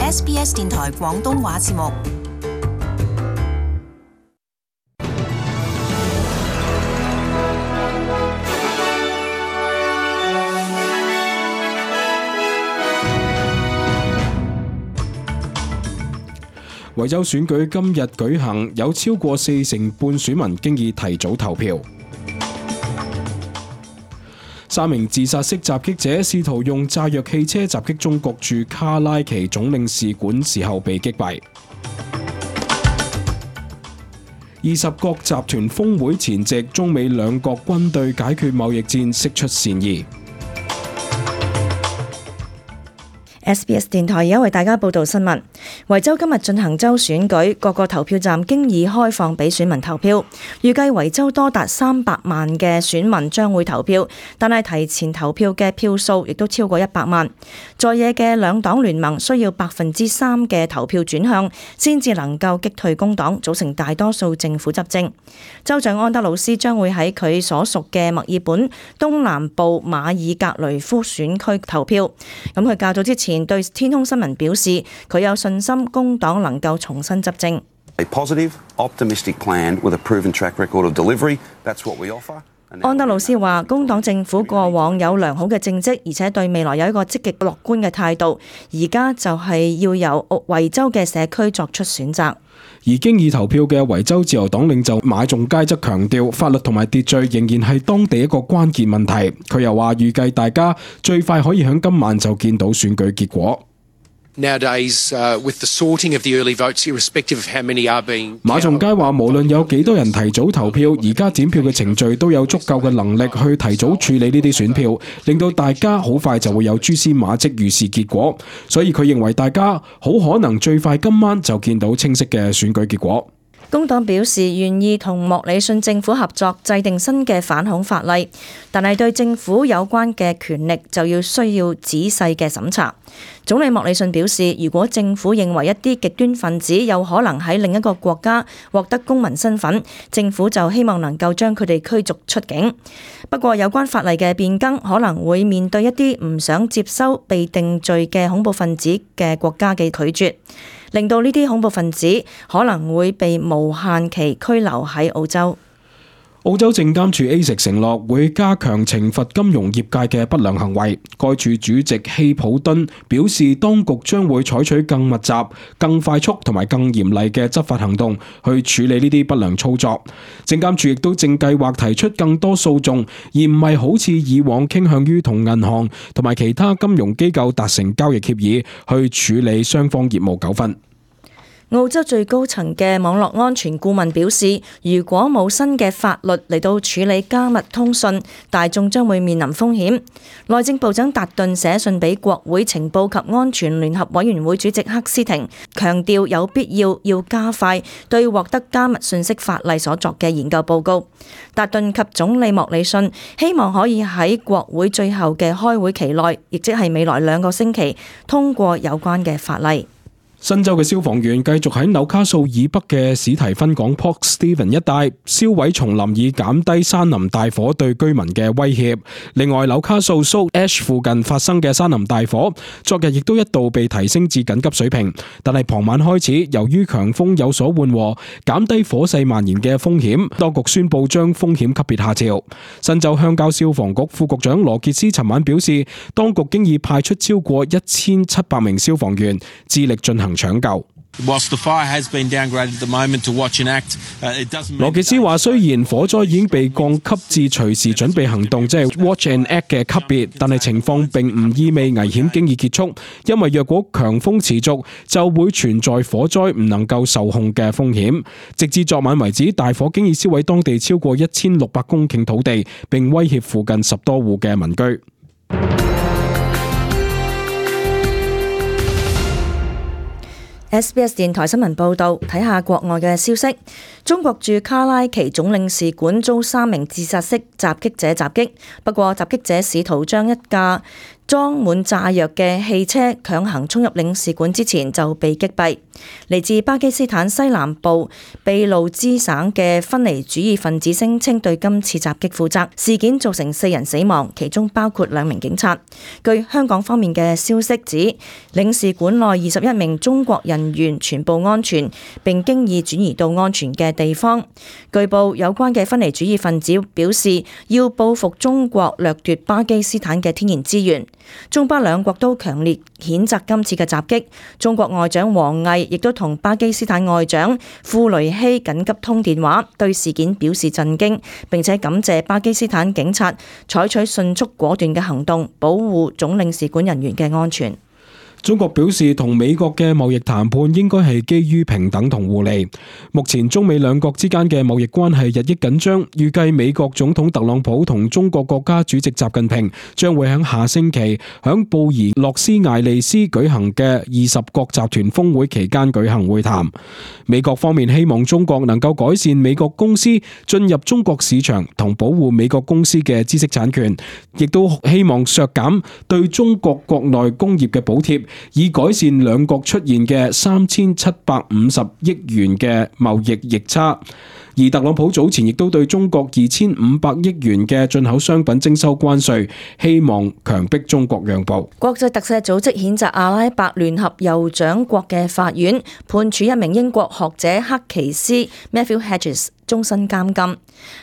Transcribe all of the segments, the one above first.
SBS 電台廣東話節目。維州選舉今日舉行，有超過40%半選民經已提早投票。3名自殺式襲擊者試圖用炸藥汽車襲擊中國駐卡拉奇總領事館時候被擊斃。20國集團峰會前夕，中美兩國軍隊解決貿易戰釋出善意。SBS 電台而家為大家報道新聞。維州今日進行州選舉，各個投票站經已開放俾選民投票。預計維州多達300萬嘅選民將會投票，但係提前投票嘅票數亦都超過100萬。在野嘅兩黨聯盟需要3%嘅投票轉向，先至能夠擊退工黨，組成大多數政府執政。州長安德魯斯將會喺佢所屬嘅墨爾本東南部馬爾格雷夫選區投票。咁佢較早之前對天空新聞表示，佢有信心工黨能夠重新執政。A positive, optimistic plan with a proven track record of delivery. That's what we offer. 安德魯斯話，工黨政府過往有良好嘅政績，而且對未來有一個積極樂觀嘅態度。而家就係要由維州嘅社區作出選擇。而經已投票嘅維州自由黨領袖馬仲佳則強調，法律同埋秩序仍然係當地一個關鍵問題。佢又話，預計大家最快可以喺今晚就見到選舉結果。Nowadays, with the sorting of the early votes, irrespective of how many are being... 馬仲佳話，無論有幾多人提早投票，而家點票嘅程序都有足夠嘅能力去提早處理呢啲選票，令到大家好快就會有蛛絲馬跡預示結果。所以佢認為大家好可能最快今晚就見到清晰嘅選舉結果。工黨表示願意同莫里遜政府合作制定新嘅反恐法例，但係對政府有關嘅權力就需要仔細嘅審查。總理莫里遜表示，如果政府認為一啲極端分子有可能喺另一個國家獲得公民身份，政府就希望能夠將佢哋驅逐出境。不過有關法例嘅變更可能會面對一啲唔想接收被定罪嘅恐怖分子嘅國家嘅拒絕，令到呢啲恐怖分子可能會被無限期拘留喺澳洲。澳洲證監處 ASIC 承諾會加強懲罰金融業界嘅不良行為。該處主席希普敦表示，當局將會採取更密集、更快速同埋更嚴厲嘅執法行動去處理呢啲不良操作。證監處亦都正計劃提出更多訴訟，而唔係好似以往傾向於同銀行同埋其他金融機構達成交易協議去處理雙方業務糾紛。澳洲最高層嘅網絡安全顧問表示，如果冇新嘅法律嚟到處理加密通訊，大眾將會面臨風險。內政部長達頓寫信俾國會情報及安全聯合委員會主席克斯廷，強調有必要加快對獲得加密信息法例所作嘅研究報告。達頓及總理莫里遜希望可以喺國會最後嘅開會期內，亦即係未來2個星期，通過有關嘅法例。新州嘅消防員繼續喺紐卡素以北嘅史提芬港 Port Stephens 一帶燒毀叢林，以減低山林大火對居民嘅威脅。另外，紐卡素 Salt Ash 附近發生嘅山林大火，昨日亦都一度被提升至緊急水平，但係傍晚開始，由於強風有所緩和，減低火勢蔓延嘅風險，當局宣布將風險級別下調。新州鄉郊消防局副局長羅傑斯尋晚表示，當局經已派出超過1700名消防員，致力進行搶救。羅傑斯話：雖然火災已經被降級至隨時準備行動，即係 Watch and Act 嘅級別，但係情況並唔意味危險經已結束，因為若果強風持續，就會存在火災唔能夠受控嘅風險。直至昨晚為止，大火經已燒毀當地超過1600公頃土地，並威脅附近10多戶嘅民居。SBS 電台新聞報導，睇下國外嘅消息。中國駐卡拉奇總領事館遭3名自殺式襲擊者襲擊，不過襲擊者試圖將一架裝滿炸藥嘅汽車強行衝入領事館之前就被擊斃。嚟自巴基斯坦西南部秘魯支省嘅分離主義分子聲稱對今次襲擊負責，事件造成4人死亡，其中包括2名警察。據香港方面嘅消息指，領事館內21名中國人員全部安全，並經已轉移到安全嘅地方。據報有關嘅分離主義分子表示要報復中國掠奪巴基斯坦嘅天然資源。中巴兩國都強烈譴責今次嘅襲擊。中國外長王毅亦都同巴基斯坦外長庫雷希緊急通電話，對事件表示震驚，並且感謝巴基斯坦警察採取迅速果斷嘅行動，保護總領事館人員嘅安全。中國表示，同美國嘅貿易談判應該係基於平等同互利。目前中美兩國之間嘅貿易關係日益緊張，預計美國總統特朗普同中國國家主席習近平將會喺下星期響布宜諾斯艾利斯舉行嘅20國集團峰會期間舉行會談。美國方面希望中國能夠改善美國公司進入中國市場同保護美國公司嘅知識產權，亦都希望削減對中國國內工業嘅補貼，以改善兩國出現嘅3750億元嘅貿易逆差。而特朗普早前亦都對中國2500億元嘅進口商品徵收關稅，希望強迫中國讓步。國際特赦組織譴責阿拉伯聯合酋長國嘅法院判處一名英國學者克奇斯 Matthew Hedges 終身監禁。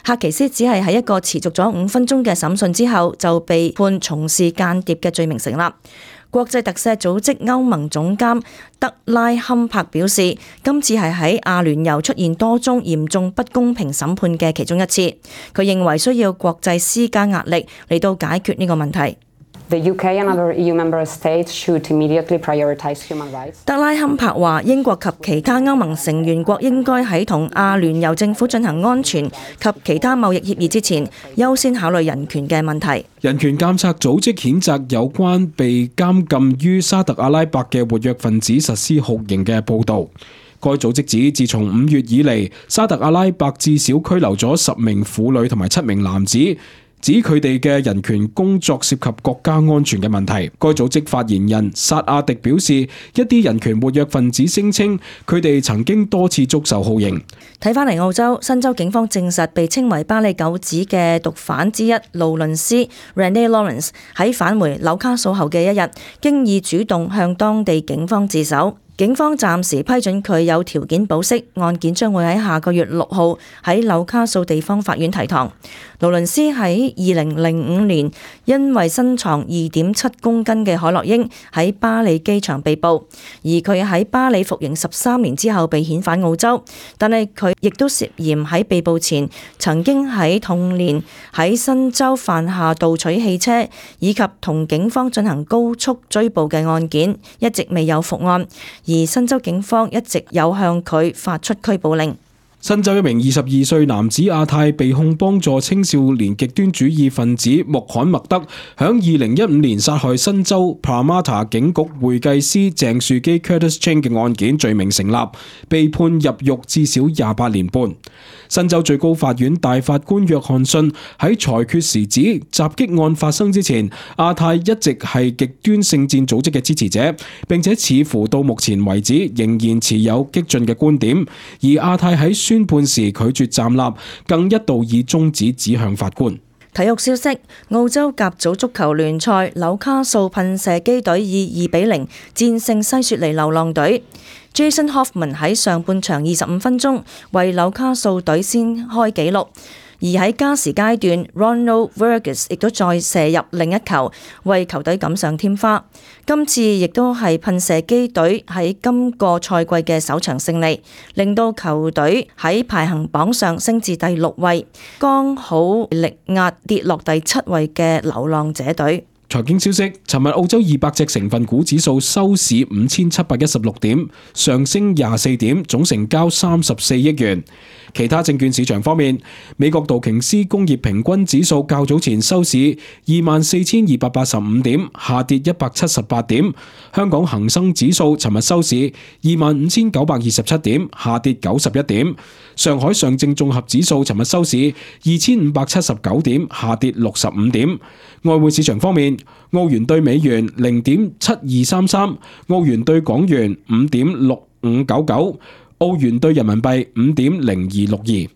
克奇斯只係喺一個持續咗5分鐘嘅審訊之後，就被判從事間諜嘅罪名成立。國際特赦組織歐盟總監德拉坎柏表示，今次係喺阿聯酋出現多宗嚴重不公平審判嘅其中一次。佢認為需要國際施加壓力嚟到解決呢個問題。The UK and other EU member states should immediately prioritize human rights. 德拉坎柏話，英國及其他歐盟成員國應該喺同阿聯酋政府進行安全及其他貿易協議之前，優先考慮人權嘅問題。人權監察組織譴責有關被監禁於沙特阿拉伯嘅活躍分子實施酷刑嘅報導。該組織指，自從5月以嚟，沙特阿拉伯至少拘留咗10名婦女同埋7名男子，指佢哋嘅人權工作涉及國家安全嘅問題。該組織發言人薩亞迪表示，一啲人權活躍分子聲稱佢哋曾經多次遭受酷刑。睇返嚟澳洲，新州警方證實被稱為巴里九子嘅毒販之一勞倫斯 Renee Lawrence 喺返回紐卡素後嘅一日，經已主動向當地警方自首。警方暫時批准佢有條件保釋，案件將會喺下個月6號喺紐卡素地方法院提堂。勞倫斯喺2005年因為身藏2.7公斤嘅海洛因喺巴里機場被捕，而佢喺巴里服刑13年之後被遣返澳洲，但係佢亦都涉嫌喺被捕前曾經喺同年喺新州犯下盜取汽車以及同警方進行高速追捕嘅案件，一直未有復案。而新州警方一直有向佢發出拘捕令。新州一名22歲男子阿泰被控幫助青少年極端主義分子穆罕默德響2015年殺害新州 Parramatta 警局會計師鄭樹基 Curtis Ching 嘅案件罪名成立，被判入獄至少28年半。新州最高法院大法官約翰遜喺裁決時指，襲擊案發生之前，阿泰一直係極端聖戰組織嘅支持者，並且似乎到目前為止仍然持有激進嘅觀點。而阿泰喺宣判時拒絕站立，更一度以中指指向法官。體育消息：澳洲甲組足球聯賽，紐卡素噴射機隊以2-0戰勝西雪梨流浪隊。Jason Hoffman 喺上半場25分鐘為紐卡素隊先開紀錄，而喺加時階段 Ronald Verges 亦都再射入另一球，為球隊錦上添花。今次亦都係噴射機隊喺今個賽季嘅首場勝利，令到球隊喺排行榜上升至第6位，剛好力壓跌落第7位嘅流浪者隊。財經消息：尋日澳洲200隻成分股指數收市5716點，上升24點，總成交34億元。其他證券市場方面，美國道瓊斯工業平均指數較早前收市24,285點，下跌178點。香港恒生指數尋日收市25,927點，下跌91點。上海上證綜合指數尋日收市2579點，下跌65點。外匯市場方面， ，澳元對美元0.7233，澳元對港元5.6599，澳元對人民幣5.0262。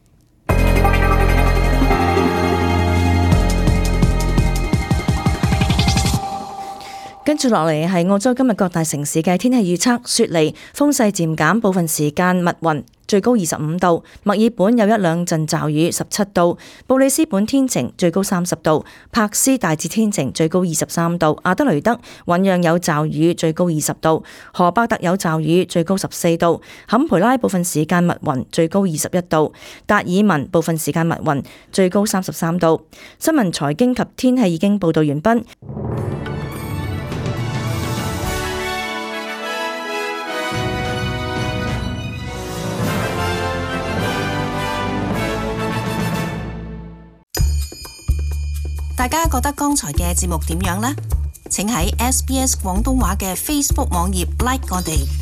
跟住落嚟係澳洲今日各大城市嘅天氣預測：雪梨風勢漸減，部分時間密雲，最高25度；墨爾本有一兩陣驟雨，17度；布里斯本天晴，最高30度；柏斯大致天晴，最高23度；阿德雷德醞釀有驟雨，最高20度；荷伯特有驟雨，最高14度；坎培拉部分時間密雲，最高21度；達爾文部分時間密雲，最高33度。新聞財經及天氣已經報道完畢。大家覺得剛才嘅節目點樣呢？請喺SBS 廣東話嘅 Facebook 網頁 like 我哋。